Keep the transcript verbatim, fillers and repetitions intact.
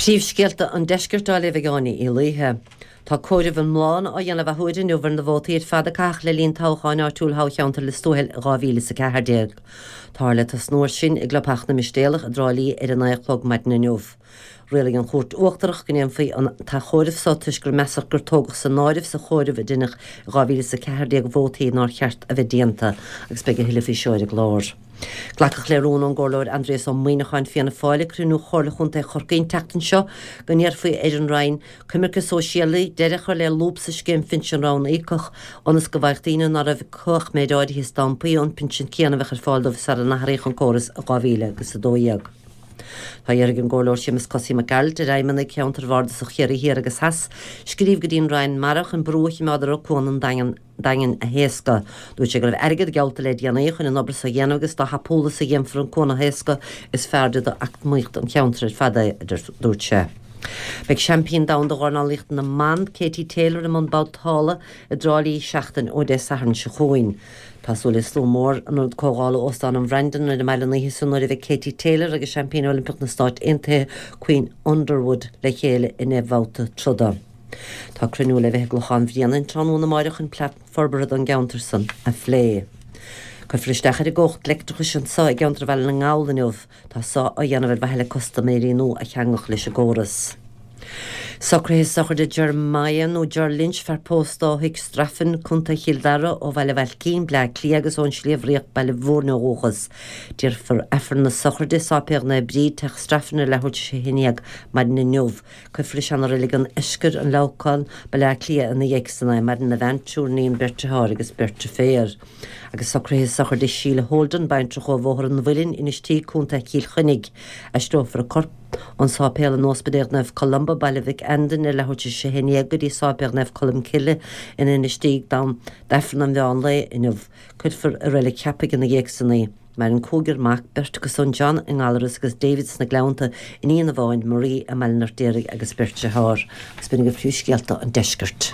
Príomhscéalta an deiscirt á léamh ag Áine Uí Laoithe. Tá comhaireamh iomlán á dhéanamh athuair inniu ar na vótaí ar fad a caitheadh le linn toghcháin áitiúil thoghcheantar Lios Tuathail dhá mhíle is a ceathair déag. Táthar le tosnú air sin i gClubtheach na Mistéalach i dTrá Lí ar a naoi a chlog maidin inniu. Rialaigh an Chúirt Uachtarach go ndéanfaí an t-athchomhaireamh so toisc gur measadh gur tógadh san áireamh sa chomhaireamh a deineadh i dhá mhíle is a ceathair déag vótaí nár cheart a bheith déanta agus beidh a thuilleadh faoi seo ar an gclár. Glacadh le rún ón gComhairleoir Aindrias Ó Muimhneacháin, Fianna Fáil, ag cruinniú Chomhairle Chontae Chorcaí an tseachtain seo go n-iarrfaí ar an Roinn Coimirce Sóisialaí deireadh a chur le lúb sa scéim phinsin ranníocach ionas go bhfaigheadh daoine ná raibh acu ach méid áirithe stampaí an pinsean céanna a bheadh ar fáil dóibh sara n-athraíodh an córas i dhá mhíle agus a dó dhéag. Tá iarrtha ag an gComhairleoir Séamus Cosaí Mac Gearailt ar fheidhmeannaigh cheantar bhardasach Chiarraí Thiar agus Theas scríobh go dtí an Roinn Mara chun brú a choimeád orthu Cuan an Daingin Daingin a thaoscadh. Dúirt sé go raibh airgead geallta le déanaí chun an obair so a dhéanamh agus dá thapúla is a dhéanfar an cuan a thaoscadh is fearrde d'eacnamaíocht an cheantair ar fad é, a dúirt sé. Beidh seaimpín domhanda dhornálaíochta na mban, Katie Taylor i mbun babhtála i dTrá Lí seachtain ó Dé Sathairn seo chugainn. Tá súil le slua mór in Ionad Comhdhála Óstán an Bhrandan ar an mbaile an oíche san nuair a bheidh Katie Taylor agus seaimpín Oilimpeach na Stáit Aontaithe Queen Underwood le chéile ina mbabhta troda. Tá cruinniú le bheith i gClochán Bhréanainn tráthnóna amáireach chun plean forbartha don gceantar san a phlé. Cuirfear isteach ar an gcumhacht leictreachais anseo i gceantar Bhaile na nGall inniu. Tá so á dhéanamh ar mhaithe le custaiméirí nua a cheangal leis an gcóras. Socruithe sochraide Jeremiah nó Ger Lynch, fear pósta ó Thigh Straffan, Contae Chill Dara, ó Bhaile Bhailcín, Bleá Cliath agus ón Sliabh Riach, Baile Mhúirne ó dhúchas. Déarfar Aifreann na sochraide i Sáipéal Naomh Bríd, Teach Straffan ar leathuair tar éis a haon dhéag maidin inniu. Cuirfear i Seana-Reilig an Eiscir, An Leamhcán, Baile Átha Cliath ina dhiaidh san é. Maireann a bhean, triúr iníon, beirt dearthár agus beirt deirféar. Agus socruithe sochraide Sheila Holden, baintreach ó Bhóthar an Mhuilinn, Inis Tí, Contae Chill Chainnigh. Aistreofar a corp ón Sáipéal in Ospidéal Naomh Columba, Baile Mhic Andain, ar leathuair tar éis a haon dhéag go dtí Sáipéal Naomh Colm Cille in Inis Tí d'Aifreann an mheán lae inniu. Cuirfear i Reilig Cheapaigh ina dhiaidh san í. Maireann cúigear mac, beirt acu san, John i nGallaras agus David sna Gleannta, iníon amháin, Marie i mBaile an Fheirtéaraigh agus beirt dearthár. Agus b'in agaibh príomhscéalta an deiscirt.